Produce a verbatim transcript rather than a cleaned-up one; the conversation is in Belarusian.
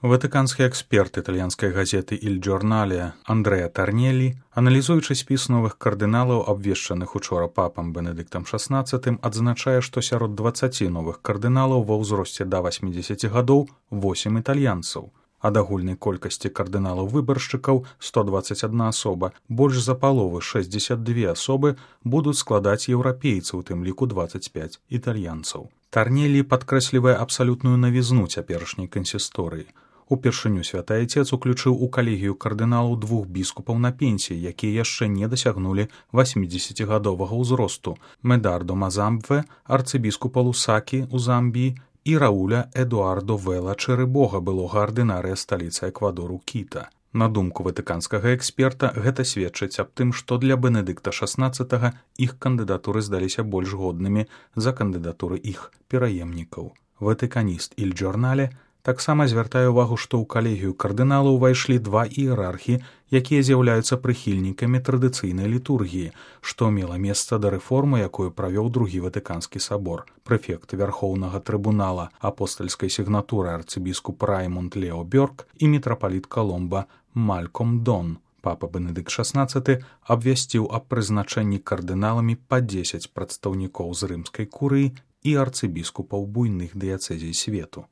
Ватыканскі эксперт італьянскай газеты «Иль Джорнале» Андрэа Тарнелі, аналізуючы спіс новых кардыналаў, абвешчаных учора папам Бенедыктам шаснаццатым, адзначае, што сярод дваццаці новых кардыналаў ва ўзросце да васьмідзесяці гадоў восем італьянцаў. Ад агульнай колькасці кардыналаў-выбаршчыкаў сто дваццаць адна асоба, больш за паловы шэсцьдзесят дзве асобы будуць складаць еўрапейцы, у тым ліку дваццаць пяць італьянцаў. Тарнелі падкрэслівае абсалютную навізну цяперашняй кансісторыі. Упершыню святы айцец уключыў у калегію кардыналаў двух біскупаў на пенсіі, якія яшчэ не дасягнулі васьмідзесяцігадовага ўзросту: Медардо Мазамбве, арцыбіскупа Лусакі ў Замбіі, і Рауля Эдуардо Вела Чэрыбога, былога ардынарыя сталіцы Эквадору Кіта. На думку ватыканскага эксперта, гэта сведчыць аб тым, што для Бенедыкта шаснаццатага іх кандыдатуры здаліся больш годнымі за кандыдатуры іх пераемнікаў. Ватыканіст «Иль Джорнале» таксама звяртае ўвагу, што ў калегію кардыналаў увайшлі два іерархі, якія з'яўляюцца прыхільнікамі традыцыйнай літургіі, што мела месца да рэформы, якую правёў другі ватыканскі сабор. Прэфект вярхоўнага трыбунала апостальскай сігнатуры арцыбіскуп Раймунд Лео Бёрк і мітрапаліт Каломба Мальком Дон. Папа Бенедыкт шаснаццаты абвясціў аб прызначэнні кардыналамі па дзесяць прадстаўнікоў з рымскай курыі і арцыбіскупаў буйных дыяцэзій свету.